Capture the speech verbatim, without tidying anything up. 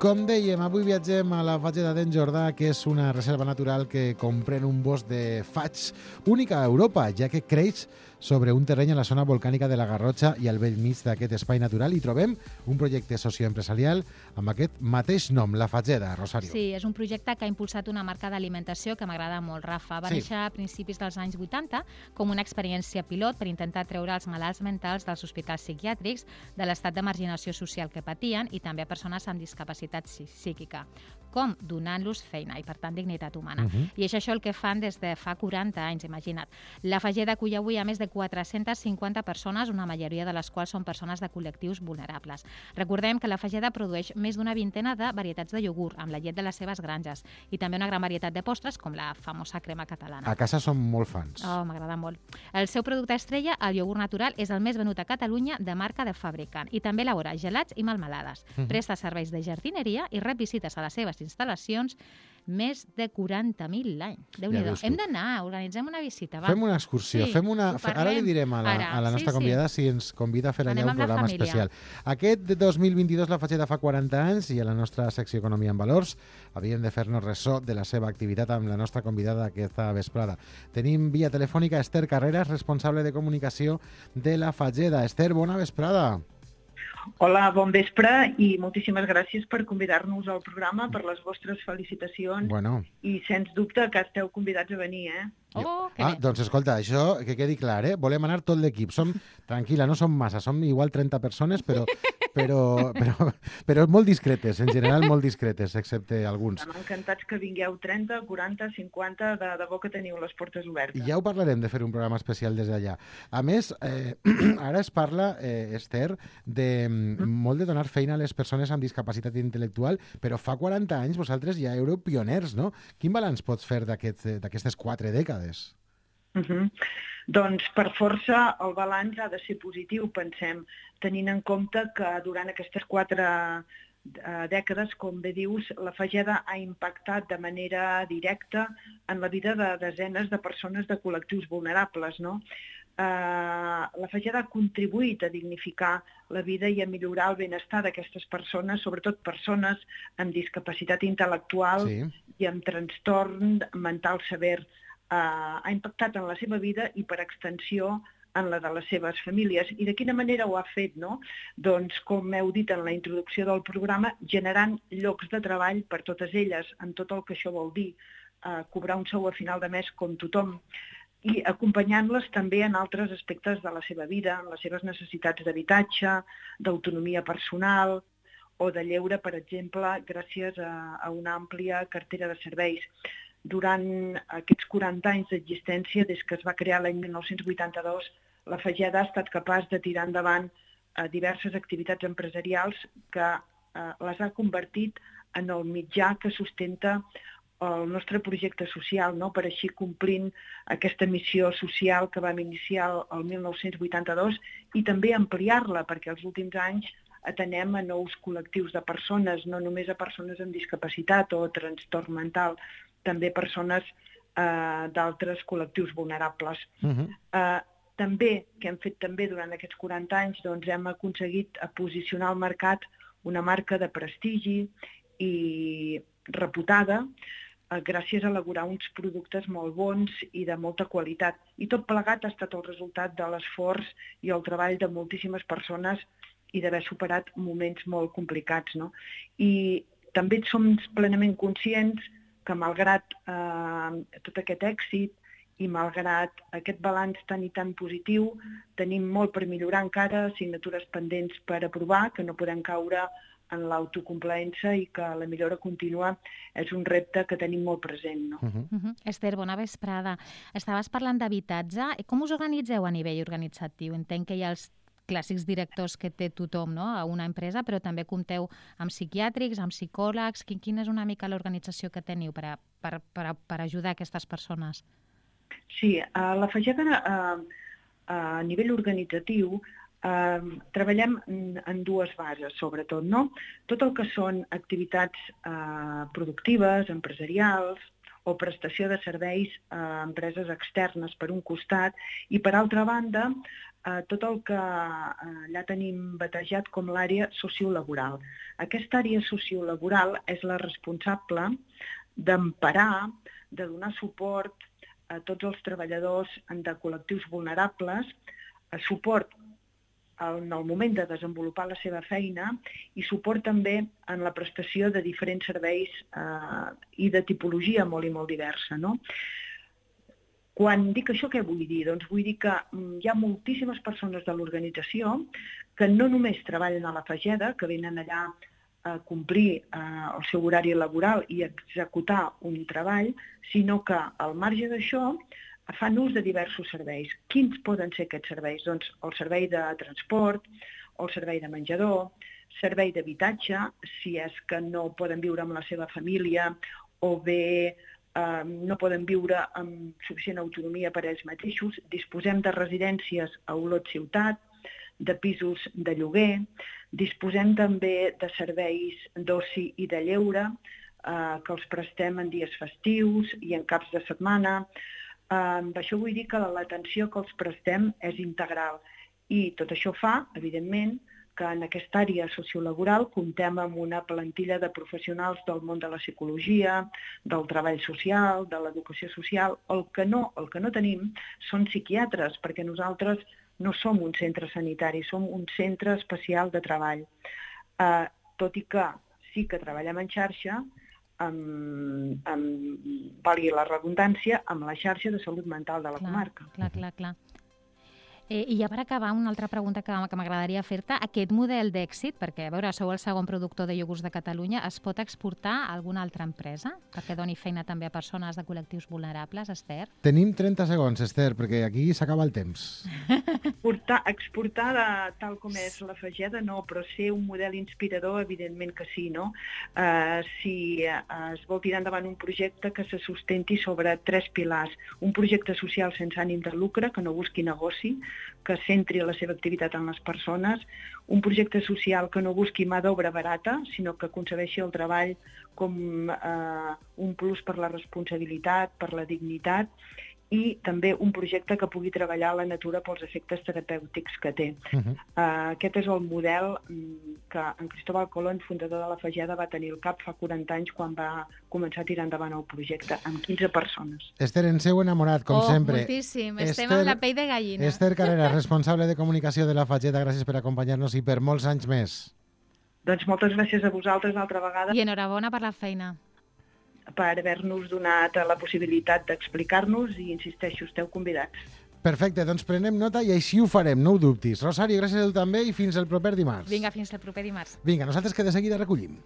Com dèiem, avui viatgem a la Fageda d'en Jordà, que és una reserva natural que comprèn un bosc de faigs única a Europa, ja que creix sobre un terreny a la zona volcànica de la Garrotxa i al bell mig d'aquest espai natural hi trobem un projecte socioempresarial amb aquest mateix nom, la Fageda, Rosario. Sí, és un projecte que ha impulsat una marca d'alimentació que m'agrada molt, Rafa. Va Sí. néixer a principis dels anys vuitanta com una experiència pilot per intentar treure els malalts mentals dels hospitals psiquiàtrics de l'estat de marginació social que patien i també a persones amb discapacitat psíquica. Com? Donant-los feina i, per tant, dignitat humana. Uh-huh. I és això el que fan des de fa quaranta anys, imagina't. La Fageda acull avui a més de quatre-centes cinquanta persones, una majoria de les quals són persones de col·lectius vulnerables. Recordem que la Fageda produeix més d'una vintena de varietats de iogurt amb la llet de les seves granges i també una gran varietat de postres com la famosa crema catalana. A casa som molt fans. Oh, m'agrada molt. El seu producte estrella, el iogurt natural, és el més venut a Catalunya de marca de fabricant i també elabora gelats i melmelades. Uh-huh. Presta serveis de jardineria i rep visites a les seves instal·lacions més de quaranta mil l'any. Déu-n'hi-do. veus tu. Hem d'anar, organitzem una visita. Va. Fem una excursió, Sí, fem una... ho parlem. Ara li direm a la, Ara, a la sí, nostra sí. convidada si ens convida a fer allà Anem un amb la programa família. especial. Aquest de dos mil vint-i-dos la Fageda fa quaranta anys i a la nostra secció Economia en Valors havíem de fer-nos ressò de la seva activitat amb la nostra convidada aquesta vesprada. Tenim via telefònica Esther Carreras, responsable de comunicació de la Fageda. Esther, bona vesprada. Hola, bon vespre i moltíssimes gràcies per convidar-nos al programa, per les vostres felicitacions Bueno. i sens dubte que esteu convidats a venir, eh? Oh, que Ah, bé. doncs escolta, això que quedi clar, eh? Volem anar tot l'equip. Som, tranquil·la, no som massa, som igual trenta persones, però, però, però, però molt discretes, en general molt discretes, excepte alguns. Estem encantats que vingueu trenta, quaranta, cinquanta, de debò que teniu les portes obertes. I ja ho parlarem de fer un programa especial des d'allà. A més, eh, ara es parla, eh, Esther, de mm. molt de donar feina a les persones amb discapacitat intel·lectual, però fa quaranta anys vosaltres ja éreu pioners, no? Quin balanç pots fer d'aquest- d'aquestes quatre dècades? Uh -huh. Doncs per força el balanç ha de ser positiu, pensem, tenint en compte que durant aquestes quatre eh, dècades, com bé dius, la Fageda ha impactat de manera directa en la vida de desenes de persones de col·lectius vulnerables, no? Eh, la Fageda ha contribuït a dignificar la vida i a millorar el benestar d'aquestes persones, sobretot persones amb discapacitat intel·lectual Sí. i amb trastorn mental sever. Uh, ha impactat en la seva vida i, per extensió, en la de les seves famílies. I de quina manera ho ha fet, no? Doncs, com heu dit en la introducció del programa, generant llocs de treball per totes elles, en tot el que això vol dir, uh, cobrar un sou a final de mes com tothom, i acompanyant-les també en altres aspectes de la seva vida, en les seves necessitats d'habitatge, d'autonomia personal o de lleure, per exemple, gràcies a, a una àmplia cartera de serveis. Durant aquests quaranta anys d'existència, des que es va crear l'any mil nou-cents vuitanta-dos, la Fageda ha estat capaç de tirar endavant eh, diverses activitats empresarials que eh, les ha convertit en el mitjà que sustenta el nostre projecte social, no? Per així complint aquesta missió social que vam iniciar el, el mil nou-cents vuitanta-dos i també ampliar-la, perquè els últims anys atenem a nous col·lectius de persones, no només a persones amb discapacitat o trastorn mental, també persones eh, d'altres col·lectius vulnerables. Uh-huh. Eh, també, que hem fet també durant aquests quaranta anys, doncs hem aconseguit posicionar al mercat una marca de prestigi i reputada eh, gràcies a elaborar uns productes molt bons i de molta qualitat. I tot plegat ha estat el resultat de l'esforç i el treball de moltíssimes persones i d'haver superat moments molt complicats, no? I també som plenament conscients que malgrat eh, tot aquest èxit i malgrat aquest balanç tan i tan positiu, tenim molt per millorar encara, assignatures pendents per aprovar, que no podem caure en l'autocomplaença i que la millora contínua és un repte que tenim molt present, no? Uh-huh. Uh-huh. Esther, bona vesprada. Estaves parlant d'habitatge. Com us organitzeu a nivell organitzatiu? Entenc que hi ha els clàssics directors que té tothom, no?, a una empresa, però també compteu amb psiquiàtrics, amb psicòlegs. Quin, quina és una mica l'organització que teniu per, a, per, per, per ajudar aquestes persones? Sí, a la Fageda a, a nivell organitzatiu eh, treballem en, en dues bases, sobretot, no? Tot el que són activitats eh, productives, empresarials, o prestació de serveis a empreses externes per un costat i per altra banda eh, tot el que eh, allà tenim batejat com l'àrea sociolaboral. Aquesta àrea sociolaboral és la responsable d'emparar, de donar suport a tots els treballadors de col·lectius vulnerables, a suport en el moment de desenvolupar la seva feina i suport també en la prestació de diferents serveis eh, i de tipologia molt i molt diversa, no? Quan dic això, què vull dir? Doncs vull dir que hi ha moltíssimes persones de l'organització que no només treballen a la Fageda, que venen allà a complir eh, el seu horari laboral i executar un treball, sinó que al marge d'això fan ús de diversos serveis. Quins poden ser aquests serveis? Doncs el servei de transport, el servei de menjador, servei d'habitatge, si és que no poden viure amb la seva família o bé eh, no poden viure amb suficient autonomia per a ells mateixos. Disposem de residències a Olot ciutat, de pisos de lloguer, disposem també de serveis d'oci i de lleure, eh, que els prestem en dies festius i en caps de setmana. Eh, amb això vull dir que l'atenció que els prestem és integral i tot això fa, evidentment, que en aquesta àrea sociolaboral comptem amb una plantilla de professionals del món de la psicologia, del treball social, de l'educació social. El que no, el que no tenim són psiquiatres, perquè nosaltres no som un centre sanitari, som un centre especial de treball. Eh, tot i que sí que treballem en xarxa, amb, amb, valgui la redundància, amb la xarxa de salut mental de la clar, comarca. Clar, clar, clar. Eh, I ja per acabar, una altra pregunta que, que m'agradaria fer-te. Aquest model d'èxit, perquè a veure, sou el segon productor de iogurts de Catalunya, es pot exportar a alguna altra empresa perquè doni feina també a persones de col·lectius vulnerables, Esther? Tenim trenta segons, Esther, perquè aquí s'acaba el temps. Exportar, exportar de, tal com és la Fageda, no, però ser un model inspirador, evidentment que sí, no? Uh, si uh, es vol tirar endavant un projecte que se sustenti sobre tres pilars. Un projecte social sense ànim de lucre, que no busqui negoci, que centri la seva activitat en les persones, un projecte social que no busqui mà d'obra barata, sinó que concebeixi el treball com eh, un plus per la responsabilitat, per la dignitat, i també un projecte que pugui treballar la natura pels efectes terapèutics que té. Uh-huh. Uh, aquest és el model que en Cristóbal Colón, fundador de la Fageda, va tenir al cap fa quaranta anys quan va començar a tirar endavant el projecte, amb quinze persones. Esther, ens heu enamorat, com oh, sempre. Moltíssim, Esther, estem amb la pell de gallina. Esther Carrera, responsable de comunicació de la Fageda, gràcies per acompanyar-nos i per molts anys més. Doncs moltes gràcies a vosaltres altra vegada. I enhorabona per la feina. Per haver-nos donat la possibilitat d'explicar-nos i, insisteixo, esteu convidats. Perfecte, doncs prenem nota i així ho farem, no ho dubtis. Rosario, gràcies a tu també i fins el proper dimarts. Vinga, fins el proper dimarts. Vinga, nosaltres que de seguida recollim.